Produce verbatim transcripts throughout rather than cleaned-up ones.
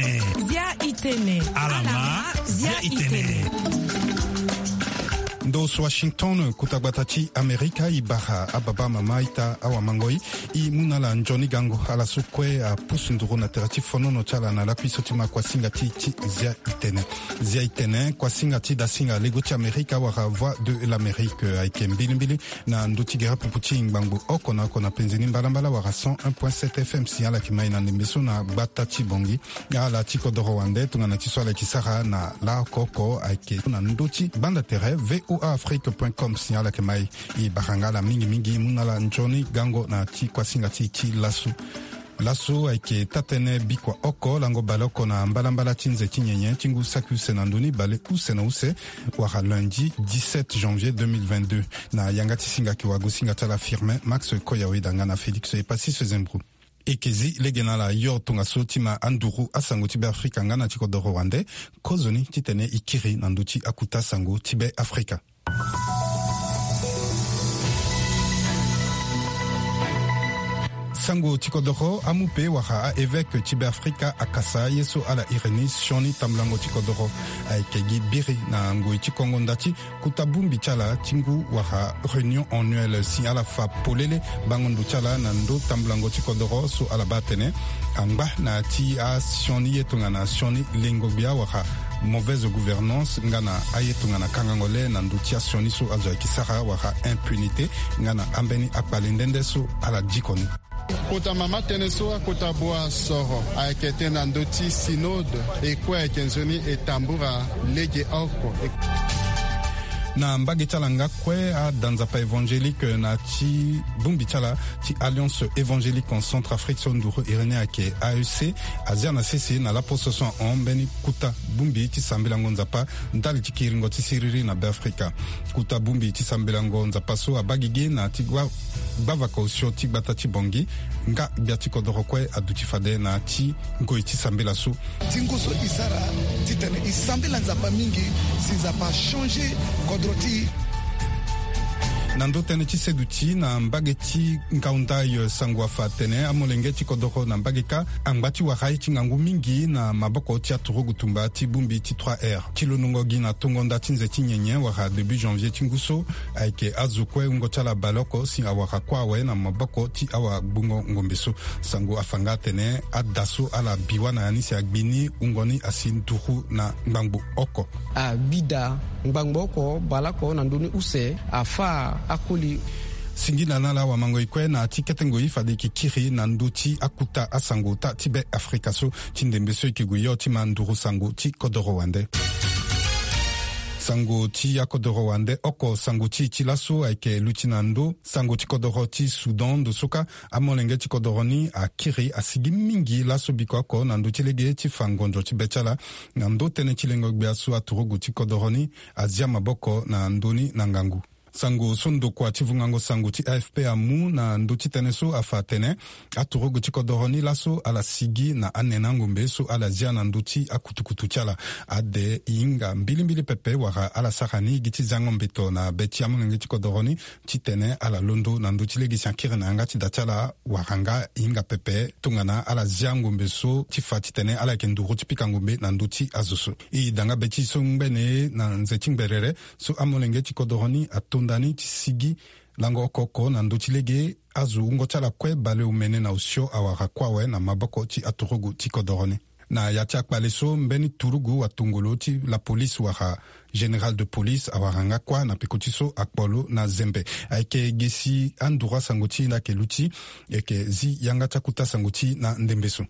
Zia itene. Alama, zia itene. Ndo so Washington, kota gbata ti Amerika, e bara ababa, amama, aita, awamangoi, e mu na ala nzoni gango. Ala so kue apusu nduru na tere ti fonono ti ala na lakui so ti ma kuasinga ti, ti Zia itene. Zia itene, kuasinga ti dasinga lego ti Amerika wala Voix de l'Amérique, ayeke mbilimbili na ndö ti gere pupu ti ngbangbo oko na oko na penze ni mbalambala wala cent un point sept F M si ala yeke mai na ndembe so na gbata ti Bangui. Ala ti kodoro wande tongana ti so ala yeke sara na laoko oko ayeke na ndö ti gbanda tere V O A Afrique point com si ala yeke mai. E bara nga ala mingi mingi, e mu na ala nzoni gango na ti kuasinga ti e ti laso. Laso ayeke taa-tënë bikua oko lango baleoko na mbalambala ti nze ti nyenye ti ngu saki use na ndö ni bale use na use, wala lundi dix-sept janvier deux mille vingt-deux. Na yanga ti singa ayeke wagosinga ti ala Firmin Max Koyawe, da nga na Félix Epasis Zembro. E yeke zi lege na ala yo tongaso ti ma anduru asango ti Be Afrika nga na ti kodoro wande, kozoni titene e kiri na ndö ti akota sango ti Be Afrika. Sango ti kodoro amu pe wala a-évêque ti Be Afrika akasa ye so ala iri ni sioni tambulango ti kodoro. Ayeke gi biri na ngoi ti kongo nda ti kota bongbi ti ala ti ngu wala réunion annuelle si ala fa polele bango ndo ti ala na ndö tambulango ti kodoro so ala baa atene angba na ti asioni ye tongana sioni lengo-gbia wala mauvaise gouvernance nga na aye tongana kangango le na ndö ti asioni so azo ayeke sara wala impunité nga na ambeni akpale nde nde so ala diko ni. Kota mama tënë so akota bua soro ayeke tënë na ndö ti synode, e kue ayeke nzoni e tambura lege oko. Na mbage ti ala nga kue ada nzapa évangélique na ti bongbi ti ala ti Alliance Évangélique en Centrafrique so nduru iri ni ayeke A E C azia na sese na laposo so ahon mbeni kota bongbi ti sambelango nzapa ndali ti kiringo ti siriri na Be Afrika. Kota bongbi ti sambelango nzapa so abaa gigi na ti gbavaka osio ti gbata ti Bangui nga gbia ti kodoro kue aduti fade na ti ngoi ti sambela so. Tingo so e sara titene e sambela Nzapa mingi si Nzapa achangé kodro ti e. Na ndö tënë ti seduti na mbage ti Ngaoundai, sango afa atene amolenge ti kodoro na mbage kâ angba ti wara ye ti ngangu mingi na maboko ti aturugu tumba ti bongbi ti trois R. Ti londongo gi na tongo nda ti nze ti nyenye wala début janvier ti ngu so, ayeke azo kue wungo ti ala baleoko si awara kue awe na maboko ti awagbongo ngombe so. Sango afa nga atene ada so ala bi wâ na ya ni si agbi ni wungo ni asi nduru na ngbangbo oko. Abi daa ngbangbo oko baleoko na ndö ni use afâ akoli. Singila na ala wamangoi kue na ti kete ngoi fade e yeke kiri na ndö ti akota asango ota ti Be Afrika so ti ndembe so e yeke gue yo ti ma nduru sango ti kodoro wande. Sango ti akodoro wande oko, sango ti e ti laso ayeke luti na ndö sango ti kodoro ti Soudan. Ndo so kâ amolenge ti kodoro ni akiri asigi mingi laso bikua oko na ndö ti lege ti fa ngonzo ti be ti ala. Na ndö tënë ti lengo-gbia so aturugu ti kodoro ni azia maboko na ndö ni na ngangu. Sango so ndokua ti vungango sango ti A F P amu na ndö ti tënë so afa atene aturugu ti kodoro ni laso ala sigi na anene angombe so ala zia na ndö ti akutukutu ti ala. Ade e hinga mbilimbili pepe wala ala sara ni gi ti zango mbeto na be ti amolenge ti kodoro ni titene ala londo na ndö ti lege si akiri na yanga ti da ti ala wala nga e hinga pepe tongana ala zia ngombe so ti fa titene ala yeke nduru ti pika ngombe na ndö ti azo so. E da nga be ti e so ngbene na nze ti ngberere so amolenge ti kodoro ni atonda ni ti sigi lango oko oko na ndö ti lege azo wungo ti ala kue baleomene na osio awara kue awe na maboko ti aturugu ti kodoro ni. Na ya ti akpale so mbeni turugu watongolo ti la police wala général de police awara nga kue na peko ti so akpo lo na zembe. Ayeke ge si anduru asango ti e nda ayeke luti. E yeke zi yanga ti akota sango ti e na ndembe so.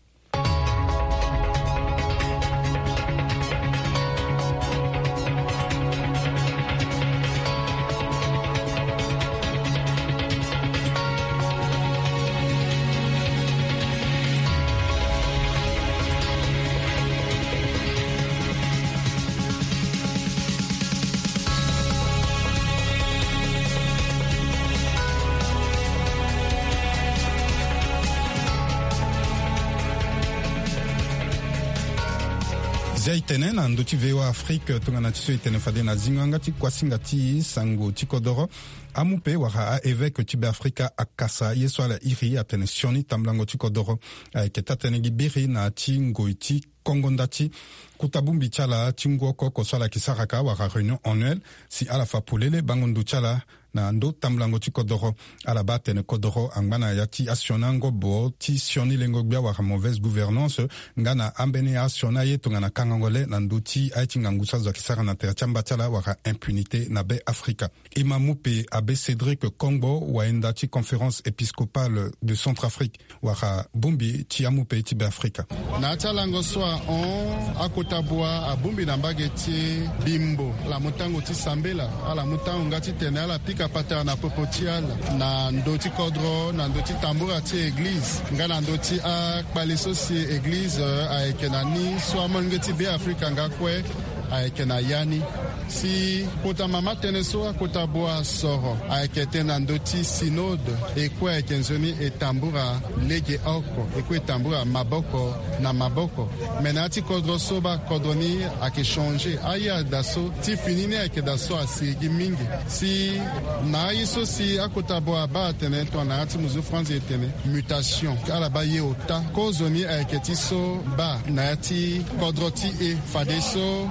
Dia e tene na ndö ti V O A Afrique tongana ti so e tene fade na zingo yanga ti kuasinga ti sango ti kodoro. Amu pe wala a-évêque ti Beafrika akasa ye so ala iri atene sioni tambulango ti kodoro ayeke taa-tënë gi biri na ya ti ngoi ti kongo nda ti kota bongbi ti ala ti ngu oko oko so ala yeke sara ka wala réunion annuelle, si ala fa polele bango ndo ti ala na ndö tambulango ti kodoro. Ala baa atene kodoro angba na ya ti asioni angobo ti sioni lengo-gbia wala mauvaise gouvernance, nga na ambeni asioni aye tongana kangango le na ndö ti aye ti ngangu so azo ayeke sara na tere ti amba ti ala wala impunité na Beafrika. E ma mu pe abbé Cédric Kongbo, wayenda ti Conférence épiscopale de Centrafrique, wala bongbi ti amu pe ti Beafrika. Na ya ti alango so ahon, akota bua abongbi na mbage ti Bimbo, ala mu tango ti sambela, ala mu tango nga titene ala pika patara na popo ti ala na ndö ti kodro, na ndö ti tambura ti eglize, nga na ndö ti akpale so si eglize, eh, ayeke na ni so amolenge ti Beafrika nga kue ayeke na ya ni. Si kota mama tënë so akota bua asoro ayeke tënë na ndö ti synode, e kue ayeke nzoni e tambura legeoko, e kue e tambura maboko na maboko. Me na ya ti kodro so baa kodro ni ayeke changer. Aye daa so ti fini ni ayeke daa so asigi mingi. Si na aye so si akota bua abaa atene tongana na ya ti muzu franzi e tene mutation. Ala baa ye ota. Kozo ni ayeke ti so baa na ya ti kodro ti e. Fadeso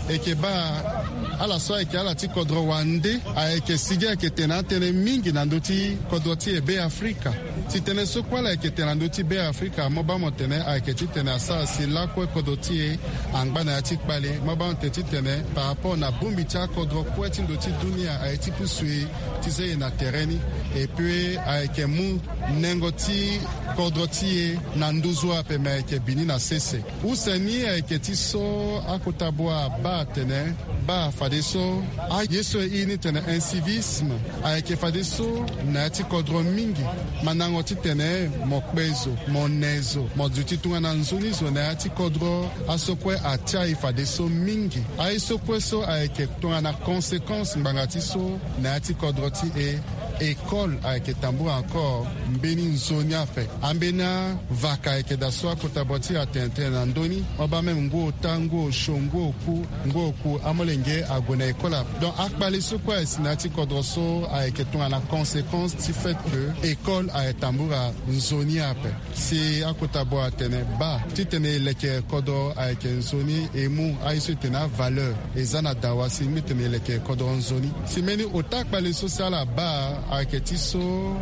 e yeke baa ala so ayeke ala ti kodro wande ayeke sigi ayeke tene atënë mingi na ndö ti kodro ti e Beafrika. Si tënë so kue ala yeke tene na ndö ti Beafrika, mo baa mo tene ayeke titene asara si lakue kodro ti e angba na ya ti kpale. Mo baa mo tene titene par rapport na bongbi ti akodro kue ti ndö ti dunia aye ti pusu e ti zia e na tere ni. Et puis ayeke mu nengo ti kodro ti e na nduzu ape, me ayeke bini na sese. Use ni ayeke ti so akota bua abaa atene baa fadeso aye so e iri ni tene incivisme ayeke fadeso na ya ti kodro mingi. Mandango titene mo kpe zo, mo ne zo, mo duti tongana nzoni zo na ya ti kodro, aso kue atia e fadeso mingi. Aye so kue so ayeke tongana conséquence ngbanga ti so na ya ti kodro ti e. École ayeke tambula encore mbeni nzoni ape. Ambeni avaka ayeke daa so akota bua ti atene tënë na ndö ni. Mo baa même ngu ota, ngu osio, ngu oku, ngu oku amolenge ague na école ape. Donc akpale so kue aye si na ya ti kodro so ayeke tongana conséquence ti fait que école aye tambula nzoni ape. Si akota bua atene baa titene e leke kodro ayeke nzoni, e mu aye so e tene avaleur e za na dawa si e mu tene e leke kodro nzoni. Si mbeni ota kpale so si ala baa ayeke ti so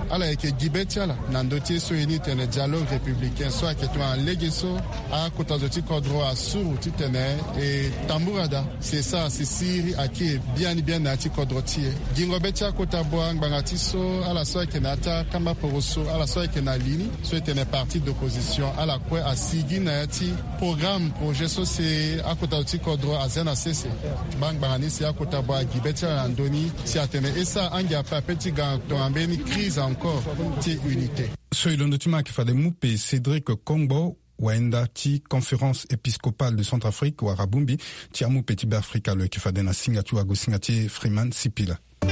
ala yeke gi be ti ala na ndö ti ye so e ni tene dialogue républicain so ayeke tongana lege so akota zo ti kodro asuru titene e tambula daa. Si e sara si siriri akiri biani biani na ya ti kodro ti e. Gingo be ti akota bua ngbanga ti so ala so ayeke na ya ti akamba poroso, ala so ayeke na li ni so e tene parti d'opposition, ala kue asigi na ya ti programme, projet so si akota zo ti kodro azia na sese. Baa ngbanga ni si akota bua agi be ti ala na ndö ni si atene e sara angia ape ape ti ga tongana mbeni crise encore ti unité. So e londo ti ma ayeke fade mu pe Cédric Kongbo, wayenda ti Conférence épiscopale de Centrafrique wala bongbi ti amu pe ti Beafrika, lo yeke fade na singa ti wagosinga ti Freeman Sipila. E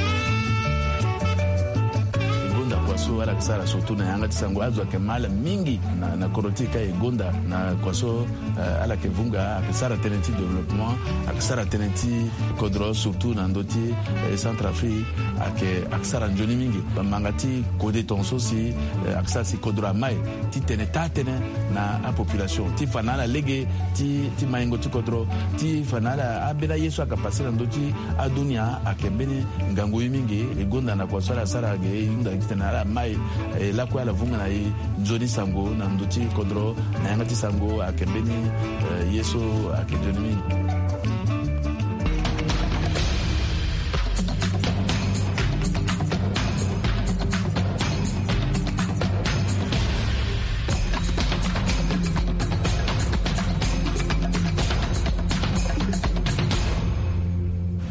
gonda kua so ala yeke sara surtout na yanga ti sango, azo ayeke ma ala mingi na, na kodro ti e ka e gonda na kua so, eh, ala yeke vunga, ayeke sara tënë ti développement, ayeke sara tënë ti kodro surtout na ndö ti, eh, Centrafrique, ayeke, ayeke sara nzoni mingi. Bamanga ti kode tongaso si, eh, ayeke sara si kodro ama e ti tene taa-tënë na apopulation ti fa na ala lege ti, ti maingo ti kodro, ti fa na ala ambeni aye so ayeke pase na ndö ti adunia ayeke mbeni ngangu ye mingi. E gonda na kua so ala sara ge, e hunda titene ala ma e, e lakue ala vunga na e nzoni sango na ndö ti kodro na yanga ti sango ayeke mbeni, eh, ye so ayeke nzoni mingi.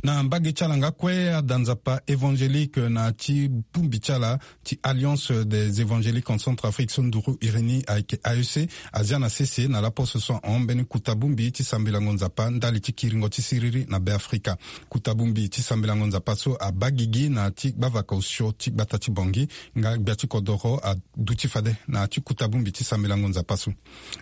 Na mbage ti ala nga kue, ada nzapa évangélique na ti bongbi ti ala ti Alliance des Évangéliques en Centrafrique, so nduru iri ni ayeke A E C, azia na sese na laposo so ahon mbeni kota bongbi ti sambelango nzapa ndali ti kiringo ti siriri na Beafrika. Kota bongbi ti sambelango nzapa so abaa gigi na ti gbavaka osio ti gbata ti Bangui nga gbia ti kodoro aduti fade na ti kota bongbi ti sambelango nzapa so.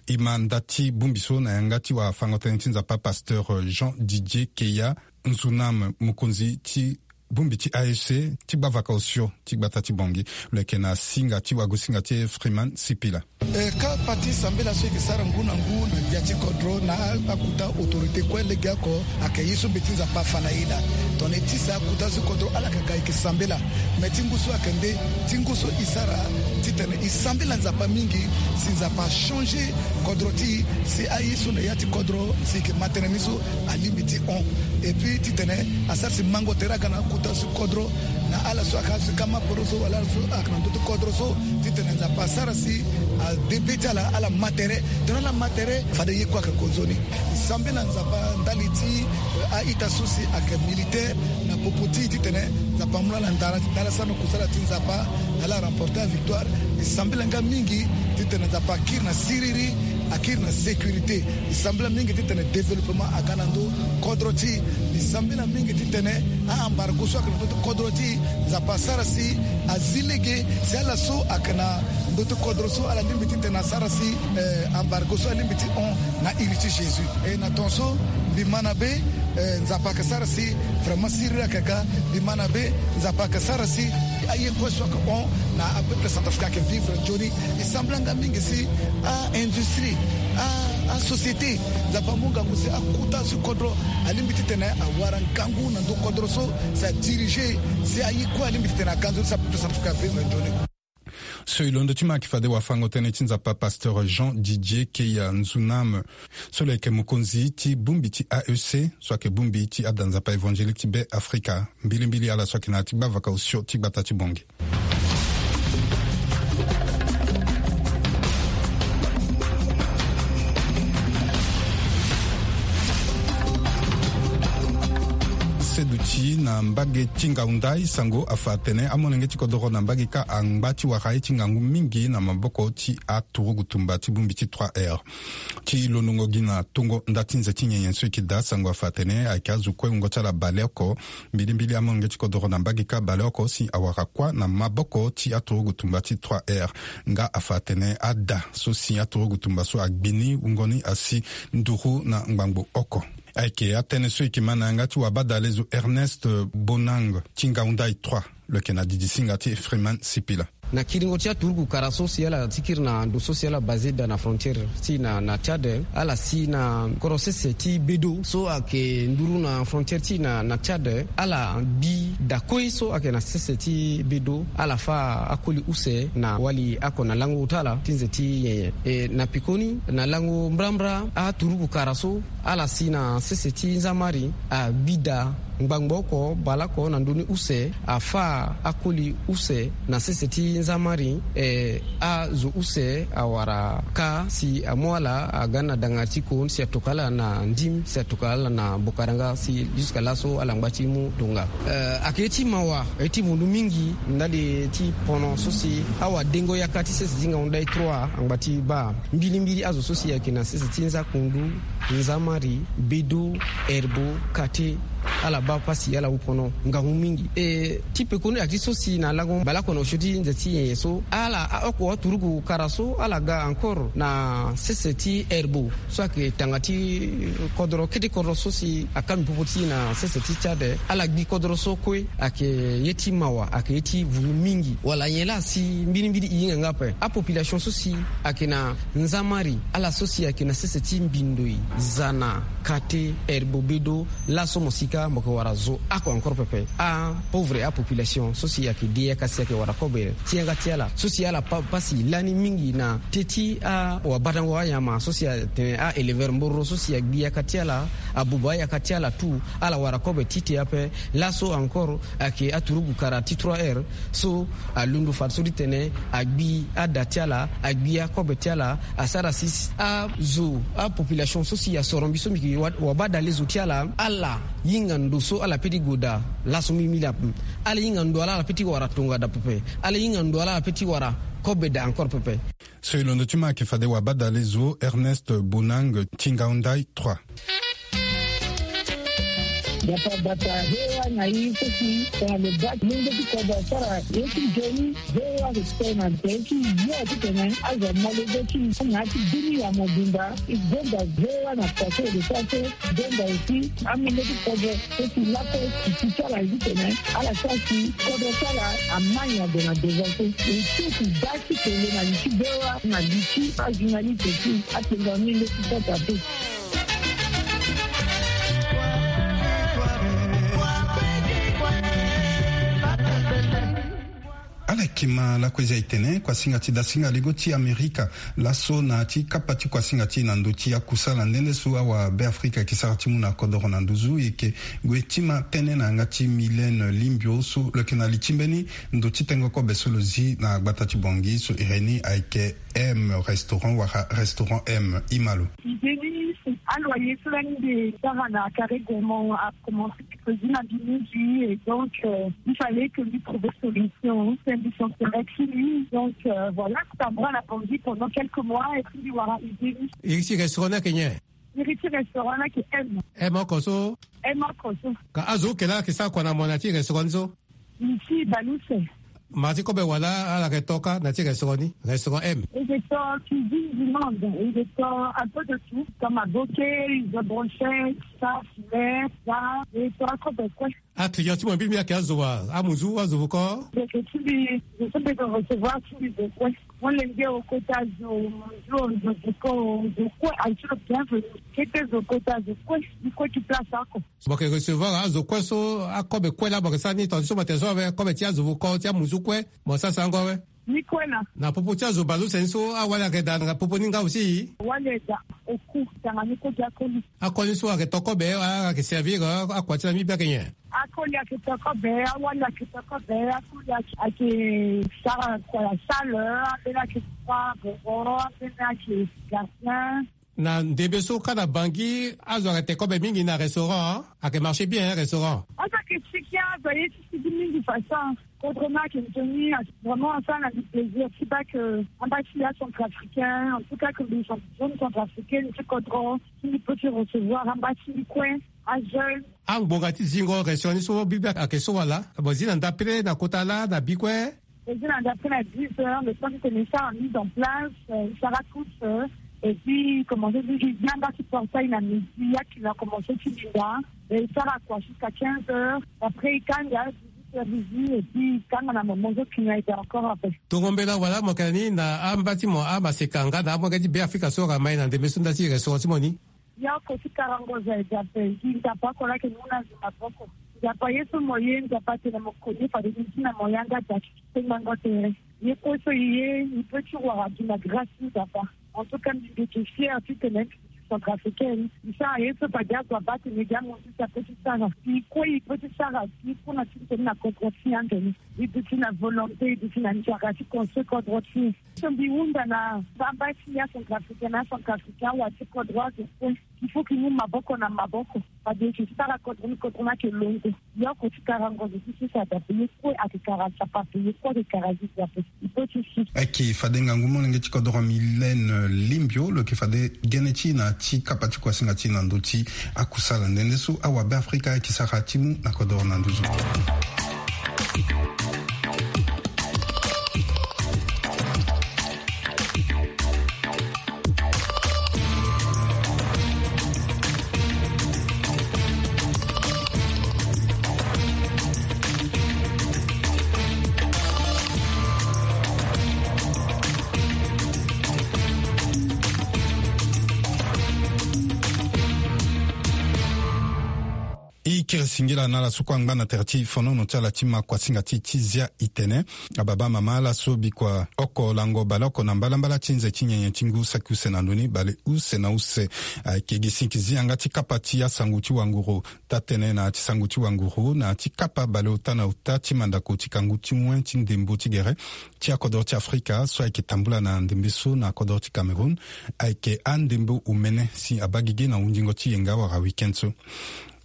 E ma nda ti bongbi so na yanga ti wafango-tënë ti nzapa, pasteur Jean Didier Keya Nzunam, mokonzi ti bongbi ti A E C ti gbavaka osio ti gbata ti Bangui. Lo yeke na singa ti wagosinga ti Freeman Sipila. E, kapa ti sambela so e yeke sara ngu na ngu na gbia ti kodro na akota autorité kue legeoko, ayeke ye so mbe ti Nzapa afa na e laa. Tongana e tisa akota so kodro ala yeke ga e yeke sambela. Me ti ngu so ayeke nde ti ngu so e sara titene e sambela Nzapa mingi, si Nzapa achanger kodro ti e, si aye so na ya ti kodro si e yeke ma tënë ni so alingbi ti hon. Et puis titene asara si mango tere aga na akota so kodro, na ala so ayeke azo ti kama poro so wala ala so ayeke na ndö ti kodro so, titene Nzapa asara si ade be ti ala, ala ma tere. Tongana ala ma tere, fade ye kue ayeke gonzo ni. E sambela Nzapa ndali ti, eh, a-ita so si ayeke militaire na popo ti e, titene Nzapa amu na ala ndara, titene ala sara na kusala ti Nzapa, ala remporter avictoire. E sambela nga mingi titene Nzapa akiri na siriri, akiri na sécurité. E sambela mingi titene développement aga na ndö kodro ti e. E sambela mingi titene a-embargo so ayeke na ndö ti kodro ti e, Nzapa asara si azi lege, si ala so ayeke na ndö ti kodro so ala lingbi titene asara si, eh, embargo so alingbi ti hon na iri ti Jésus. E na ton so mbi ma na be, eh, Nzapa ayeke sara si vraiment siriri ayeke ga. Mbi ma na be, Nzapa ayeke sara si aye kue so ayeke hon na apeuple centrafricain ayeke vivre nzoni. E sambela nga mingi si a-industrie, a, asociété, Nzapa amu ngangu si akota so kodro alingbi titene awara ngangu na ndö kodro so, si adiriger, si aye kue alingbi titene aga nzoni si apeuple centrafricain avivre nzoni. So e londo ti ma ayeke fade wafango-tënë ti Nzapa, pasteur Jean Didier Keya Nzunam, so lo yeke mokonzi ti bongbi ti A E C, so ayeke bongbi ti ada nzapa évangélique ti Beafrika. Mbilimbili ala so ayeke na ya ti gbavaka osio ti gbata ti Bangui. Seduti na mbage ti Ngaoundai, sango afa atene amolenge ti kodoro na mbage kâ angba ti wara ye ti ngangu mingi na maboko ti aturugu tumba ti bongbi ti trois R. Ti londongo gi na tongo nda ti nze ti nyenye so e yeke daa, sango afa atene ayeke azo kue wungo ti ala baleoko. Mbilimbili amolenge ti kodoro na mbage kâ baleoko si awara kuâ na maboko ti aturugu tumba ti trois R. Nga afa atene ada so si aturugu tumba so agbi ni, wungo ni asi nduru na ngbangbo oko. Ayeke atënë so e yeke ma na yanga ti wabadalezo Ernest Bonang ti Ngaoundai trois. Lo yeke na didi singa ti Freeman Sipila. Na kiringo ti aturugu kara so si ala ti kiri na ndo so si ala basé daa na frontière ti na, na Tchad, ala si na koro sese ti Bedo so ayeke nduru na frontière ti na, na Tchad, ala bi da kue so ayeke na sese ti Bedo, ala fâ akoli use na wali oko na lango ti ala ti nze ti nyenye. E na pekoni, na lango mbrambra aturugu kara so, ala si na sese ti nzamari agbi da ngbangbo oko baleoko na ndö ni use, afâ akoli use na sese ti nzamari. E, azo use awara kâ si amu ala aga na danga ti kon si atokua ala na ndim, si atokua ala na bokaranga, si jusqu'à laso ala ngba ti mu tonga. E, ayeke ye ti mawa, ye ti vundu mingi ndali ti pono so si awadengo yaka ti sese ti Ngaoundai trois angba ti baa. Mbilimbili azo so si ayeke na sese ti Nzakundu, Nzamari, Bedo, Herbo, Kate, ala baa pasi, ala wu pono ngangu mingi. E ti pekoni, ayeke ti so si na lango baleoko na osio ti nze ti nyenye so, ala, a, oko aturugu kara so, ala ga encore na sese ti Herbo so ayeke tanga ti kodoro, kete kodoro so si akangbi popo ti e na sese ti Tchad, ala gbi kodoro so kue. Ayeke ye ti mawa, ayeke ye ti vundu mingi. Wala nyen laa si mbilimbili e hinga nga ape? Apopulation so si ayeke na nzamari, ala so si ayeke na sese ti Mbindoi, Zana, Kate, Herbo, Bedo, laso mosika mo yeke wara zo oko encore pepe. Apauvre apopulation so si ayeke de yaka si ayeke wara kobe ti yanga ti ala, so si ala pa, pasi lani mingi na teti awabadango anyama so si atene a-éleveur mboro so si agbi yaka ti ala, abuba ayaka ti ala tout, ala wara kobe ti te ape. Laso encore ayeke aturugu kara ti trois R so alondo fadeso ti tene agbi ada ti ala, agbi akobe ti ala, asara si azo, apopulation so si asoro mbi so mbi yeke Wa, wabadalezo ti ala, ala hinga ndo so ala pe ti gue daa laso mbi mili ape. Ala hinga ndo ala, ala pe ti wara tonga daa pepe. Ala hinga ndo ala, ala pe ti wara kobe daa encore pepe. So e londo ti ma ayeke fade wabadalezo Ernest Bonang Tingaondai trois. Gbata gbata V O A na e so si tongana lo baa ti lenge ti kodro asara ye ti nzoni. V O A ayeke tene na tere ti yo titene azo amolenge ti e na ya ti bini ya mobimba. E gonda V O A na faso e de sara so. Gonda aussi amolenge ti kodro so si lakue si ti ti ala ye titene ala sara si kodro ti ala amai ade na devant so. E so si baa ti kele na li ti V O A na li ti ajournaliste ti atengua ni nde ti kota pe. Ala yeke ma lakue zi aye tene kuasinga ti dasinga lego ti Amerika laso na ya ti kapa ti kuasinga ti e na ndö ti akusala nde nde so awabeafrika ayeke sara ti mu na kodoro na nduzu. E yeke gue ti ma tënë na yanga ti Mylène Limbio so lo yeke na li ti mbeni ndo ti tengo kobe so lo zi na gbata ti Bangui so iri ni ayeke M Restaurant wala Restaurant M. Ima lo. Idée ni, aloyer so lani mbi sara na Carré Gourmand a commencé mercredi na mbi mingi, et donc, euh, il fallait que lui trouve solution. C'est un business qui lui, donc, euh, voilà, ça me rend la Bangui pendant quelques mois et puis voilà, idée ni. Iri ti restaurant ni ayeke nyen? Iri ti restaurant ni ayeke M. M oko so? M oko so. Ka azo oke laa ayeke sara kua na mo na ya ti restaurant ni so? Ici, Balouse. Ma ti kobe wala ala yeke to kâ na ti restaurant ni, restaurant M. E yeke to cuisine du monde, e yeke to un peu de tout, comme aboke, izo, brochette, ça, filet, ça, e to akobe kue. Aclient ti mo mbi mbi ayeke azo wa, amuzu, azo vuko? Ndeke ti mbi, zo so mbi yeke recevoir ti mbi zo kue. Molenge o kota zo, zo, zo vuko, zo kue aye ti lo bienvenu. Kete zo kota zo kue, mbi kue ti place oko. Mo yeke recevoir azo kue so, akobe kue laa mo yeke sara ni tongana ti so mo tene so awe, kobe ti azo vuko ti amuzu kue, mo sara sango awe. Ni kue laa. Na popo ti azo baleuse ni so, awali ayeke daa na popo ni nga aussi? Awali ayeke daa oku, tongana ni kue ti akoli. Akoli so ayeke to kobe, a, ayeke servir, a, akua ti laa mbi mbi ayeke nyen? Akoli ayeke to kobe, awali ayeke to kobe, akoli ayeke, ayeke sara kua ya salle, ambeni ayeke kua boro, ambeni ayeke gardien. Na ndembe so kâ na Bangui, azo ayeke te kobe mingi na restaurant, ayeke marché bien, hein, restaurant. Azo ayeke sigi, azo aye ti sigi mingi façon. Kodro ni ayeke nzoni, vraiment asara na mbi plaisir ti baa ke amba ti acentrafricain, en tout cas ke mbi jeune centrafricaine ti kodro, ti mbi peut ti recevoir amba ti mbi kue, ajeune. Angbonga ti zingo restaurant ni so, mbi mbi ayeke so wala? Mo zi na ndapele na kota laa na bi kue? Ezi na ndapre na dix heures, le temps que mbi sara mise en place, euh, mbi sara toute, euh, et puis commencer ti, mbi via amba ti portail na midi, ya client commencer ti linda, et sara kua jusqu'à quinze heures, après e kanga, dix-huit heures midi, et puis e kanga na moment so client ayeke encore après. Tongo mbela wala mo yeke na ni na amba ti mo amaseka nga na amolenge ti Beafrika so ayeke mai na ndembe so nda ti restaurant ti mo ni? Ye oko ti karango zo aye Nzapa, e gi Nzapa oko laa ayeke mu na zo maboko. Nzapa ye so mo ye, Nzapa atene mo koni fade ni ti na mo yanga daki ti tengbango tere. Ye kue so e ye, e peut ti wara gi na grâce ti Nzapa. En tout cas, mbi mbi yeke fière titene mbi centrafricaine. Mbi sara ye so fade azo abaa atene e gi amonzo ti apeut ti sara. Mbi kue e peut ti sara gi kue na ti tene na kodro ti e ande ni. E duti na volonté, e duti na nzara ti construire kodro ti e. So mbi hunda na baba ti ya centrafricain na centrafricain awa ti kodro azo kue. Il faut que e mu maboko na maboko. Fade e sara kodro ni, kodro ni ayeke londo. Ye oko ti karango zo ti sese adape, ye kue ayeke kara Nzapa ape, ye kue ayeke kara Jésus ape. Il faut ti si. Ayeke fade ngangu molenge ti kodro Mylène Limbio, lo yeke fade gene ti e na ti kapa ti kuasinga ti e na ndö ti akusala nde nde so awabeafrika ayeke sara ti mu na kodro na nduzu. Ikiri singila na ala so kue angba na tere ti fonono ti ala ti ma kuasinga ti ti zia itene. Ababa mama ala so bikua oko lango baleoko na mbalambala ti nze ti nyenye ti ngu saki use na ndoni bale use na use. Ayeke gi sinki zi yanga ti kapa ti asango ti wanguru taa-tënë na ti sango ti wanguru na ti kapa baleota na ota ti mandako ti kangu ti wen ti ndembo ti gere ti akodoro ti Afrika so ayeke tambula na ndembe so na kodoro ti Cameroun. Ayeke andembo omene si abaa gigi na hundingo ti yenga wala weekend so.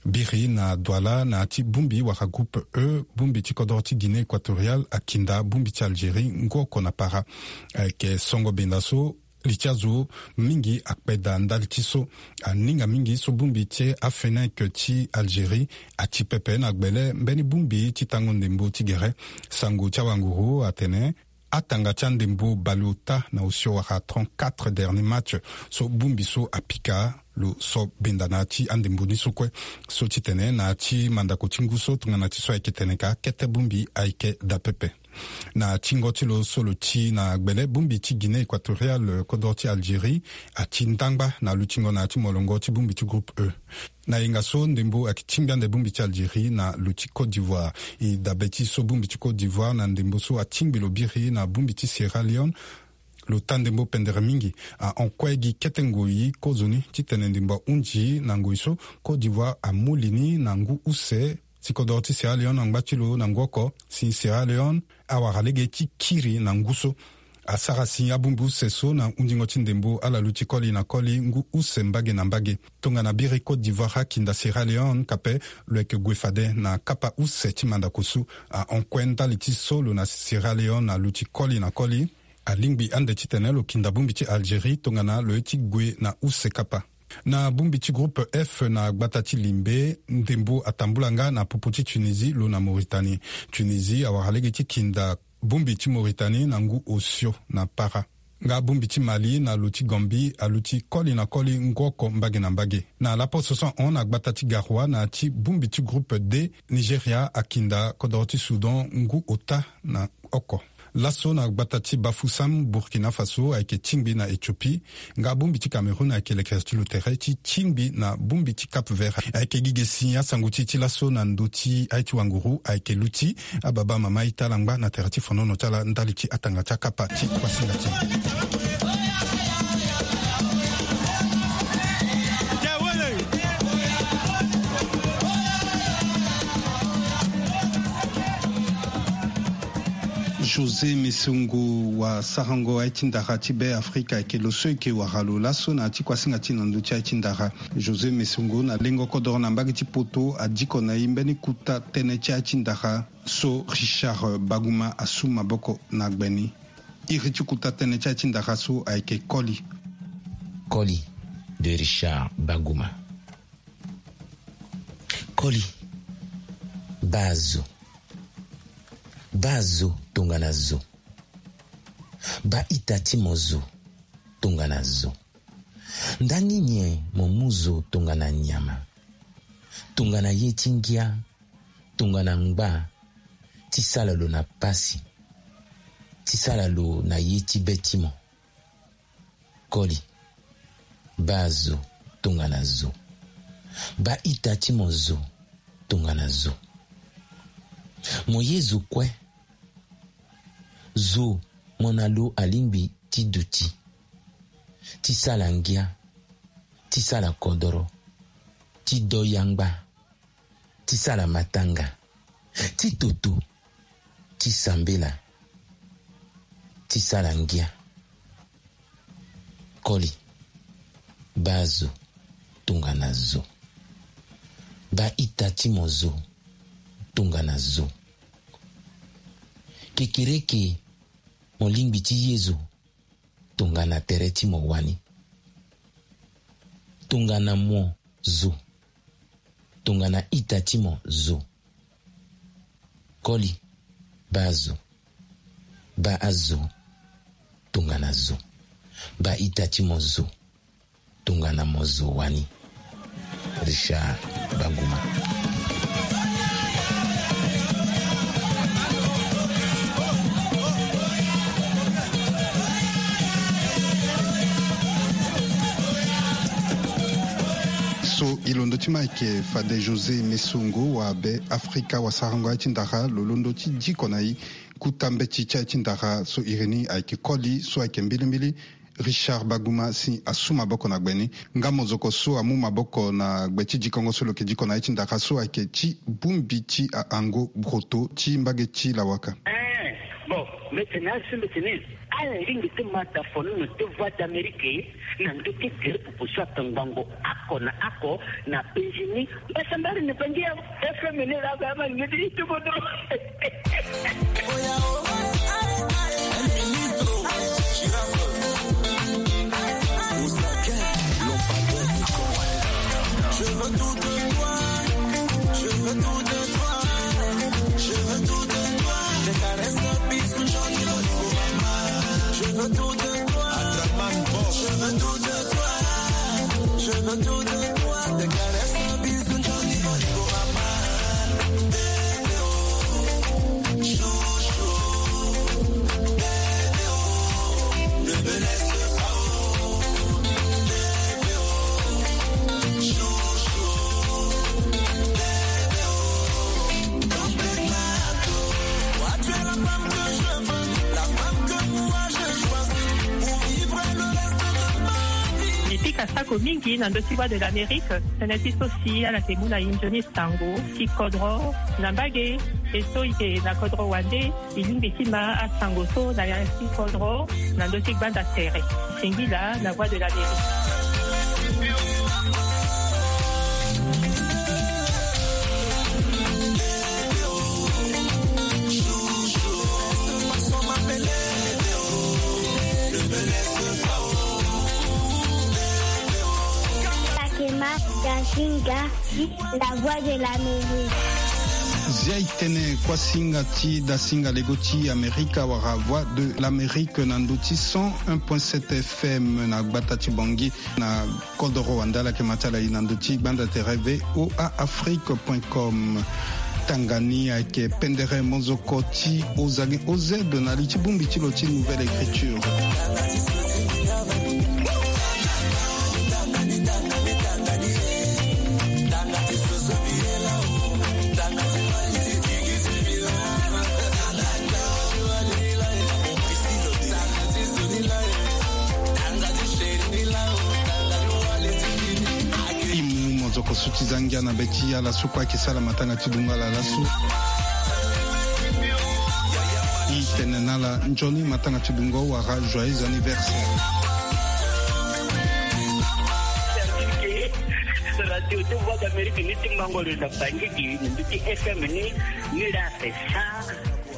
Biri na Douala na ya ti bongbi wala groupe E, bongbi ti kodoro ti Guinée Équatoriale akinda bongbi ti Algérie ngu oko na para. Ayeke songo benda so li ti azo mingi akpe daa ndali ti so. Aninga mingi so bongbi ti aFENEC ti Algérie ati pepe na gbele mbeni bongbi ti tango ndembo ti gere. Sango ti awanguru atene atanga ti andembo baleota na osio wala trente-quatre dernier match so bongbi so apika lo so benda na ya ti andembo ni so kue. So ti tene na ya ti mandako ti ngu so tongana ti so ayeke tene ka kete bongbi ayeke daa pepe. Na tingo ti lo so lo ti na gbele, bongbi ti Guinée Équatoriale, kodoro ti Algérie, ati ndangba na lutingo na ya ti molongo ti bongbi ti groupe E. Na yenga so ndembo ayeke tingbi ande bongbi ti Algérie na lo ti Côte d'Ivoire. E dabe ti so bongbi ti Côte d'Ivoire na ndembo so atingbi lo biri na bongbi ti Sierra Leone. Lo taa ndembo pendere mingi. Ahon kue gi kete ngoi kozoni titene ndembo ahunzi na ngoi so Côte d'Ivoire amu li ni na ngu use. Si kodoro ti Sierra Leone angba ti lo na ngu oko, si Sierra Leone awara lege ti kiri na ngu so. Asara si abongbi use so na hundingo ti ndembo ala luti koli na koli ngu use mbage na mbage. Tongana biri Côte d'Ivoire akinda Sierra Leone kape, lo yeke gue fade na kapa use ti mandako so. Ahon kue ndali ti so lo na Sierra Leone aluti koli na koli. Alingbi ande titene lo kinda bongbi ti Algérie tongana lo ye ti gue na use kapa. Na bongbi ti groupe F na gbata ti Limbe, ndembo atambula nga na popo ti Tunisie lo na Mauritanie. Tunisie awara lege ti kinda bongbi ti Mauritanie na ngu osio na para. Nga bongbi ti Mali na lo ti Gambie aluti koli na koli ngu oko mbage na mbage. Na laposo so ahon na gbata ti Garoua na ya ti bongbi ti groupe D, Nigeria akinda kodoro ti Soudan ngu ota na oko. Laso na gbata ti Bafoussam, Burkina Faso ayeke tingbi na Éthiopie. Nga bongbi ti Cameroun ayeke lekere ti lo tere ti tingbi na bongbi ti Cap Vert. Ayeke gi ge si asango ti e ti laso na ndö ti aye ti wanguru ayeke luti. Ababa mama ita ala ngba na tere ti fonono ti ala ndali ti atanga ti akapa ti kuasinga ti e. José Mesongo, wasarango aye ti ndara ti Be Afrika, ayeke lo so e yeke wara lo laso na ya ti kuasinga ti e na ndö ti aye ti ndara. José Mesongo na lengo kodoro na mbage ti poto adiko na e mbeni kuta tënë ti aye ti ndara so Richard Baguma asu maboko na gbe ni. Iri ti kuta tënë ti aye ti ndara so ayeke koli. Koli de Richard Baguma. Koli. Baa zo. Baa zo tongana zo. Baa ita ti mo zo tongana zo. Nda nini mo mu zo tongana nyama? Tongana ye ti ngia, tongana ngba, ti sala lo na pasi, ti sala lo na ye ti be ti mo. Koli. Baa zo tongana zo. Baa ita ti mo zo tongana zo. Mo ye zo kue. Zo mo na lo alingbi ti duti, ti sala ngia, ti sala kodoro, ti do yangba, ti sala matanga, ti toto, ti sambela, ti sala ngia. Koli. Baa zo tongana zo. Baa ita ti mo zo tongana zo. Kekereke mo lingbi ti ye zo tongana tere ti mo wani. Tongana mo zo. Tongana ita ti mo zo. Koli. Baa zo. Baa azo tongana zo. Baa ita ti mo zo tongana mo zo wani. Richard Baguma. So E londo ti ma ayeke fade José Mesongo wa be Afrika wa sarango aye ti ndara lo londo ti diko na e. Kuta mbeti ti aye ti ndara so iri ni ayeke koli so ayeke mbilimbili. Richard Baguma si asu maboko na gbe ni. Nga mozoko so amu maboko na gbe ti dikongo so lo yeke diko na aye ti ndara so ayeke ti bongbi ti ahango broto ti mbage ti lawaka. Eh, bon, mbeti na asu mbeti ni. Ala lingbi ti ma dafono na te Voix d'Amérique na ndö ti gere pupu so atongbango oko na oko na penzi ni. Mbasambari ni pangi ya F M ni la ga ma ngedi ti bodo. Je veux tout de toi, je veux tout de toi, je veux tout de toi. Tes caresses, bisous, jolis, jolis, mama. Je veux tout de toi, je veux tout de toi, je veux tout de toi. Tes caresses, bisous, jolis, jolis, mama. Bébé, oh, chouchou. Bébé, oh, ne me laisse pas, oh. Bébé, oh, chouchou. Bébé, oh, complètement. Toi, tu es la femme que je veux, la femme que moi je choisis pour vivre le reste de ma vie. Mbi pika sako mingi na ndö ti Voix de l'Amérique. Tënë ti so si ala yeke mu na e nzoni sango ti kodro na mbage. E so e yeke na kodro wande, e lingbi ti ma asango so na ya ti kodro na ndö ti gbanda tere. Singila na Voix de l'Amérique. Fatima Gazinga, la Voix de l'Amérique. Zia e tene kuasinga ti dasinga lego ti Amerika wala Voix de l'Amérique na ndö ti cent un point sept F M na gbata ti Bangui na kodoro wande. Ala yeke ma ti ala e na ndö ti gbanda tere V O A Afrique point com. Tanga ni ayeke pendere mozoko ti Ozage O Z na li ti bongbi ti lo ti Nouvelle Écriture. E mu mozoko so ti za ngia na be ti ala so kue ayeke sara matanga ti dungo ala laso. E tene na ala nzoni matanga ti dungo wala joyeux anniversaire. Radio ti Voix d'Amérique ni ti mango lo na Bangui, ni ti F M ni, ni la sa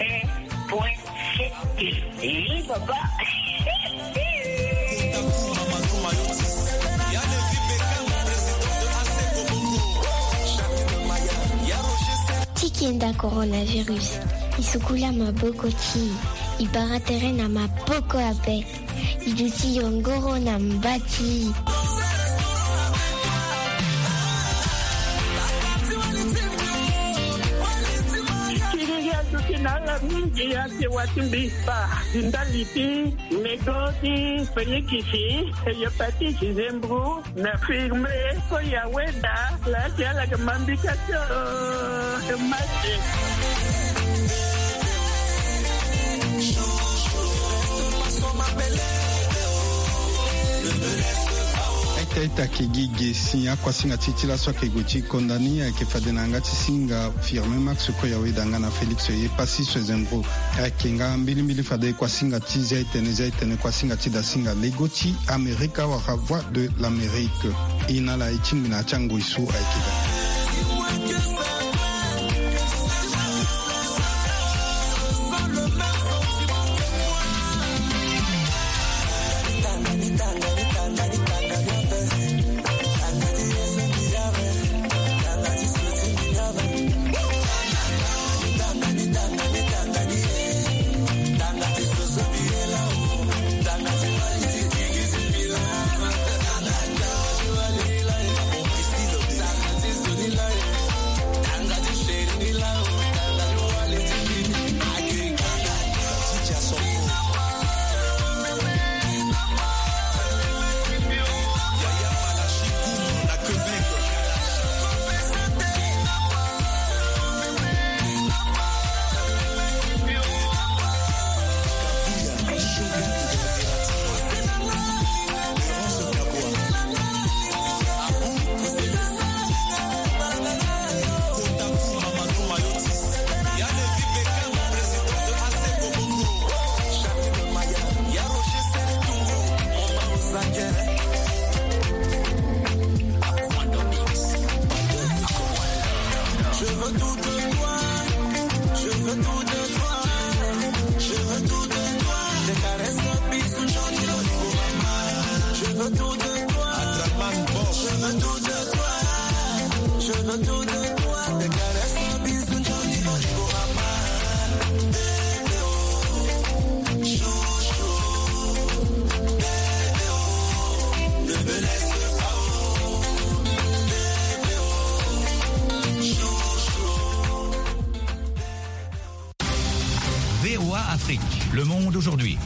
un point sept. Eh, papa. Ti kenda coronavirus, e sukula maboko ti e, e bara tere na maboko ape. E duti yongoro na mba ti e. Kiriri aduti na ala mingi, ake wa ti mbi spa, ndali ti nego ti felikisi, hepatite, zembro, na firme, ko ya weda, la ti ala ke mambika tio, mate. Ita ita ke gi ge si akuasinga ti ti laso ake gue ti konda ni, ake fade na yanga ti singa firme Max ko ya weda nga na Félix ye pasi so ezembro. Ake nga mbilimbili fade kuasinga ti zia etene, zia etene kuasinga ti dasinga lego ti Amerika wala Voix de l'Amérique. E na ala e tingbi na ya ti angoi so ayeke daa. D'aujourd'hui.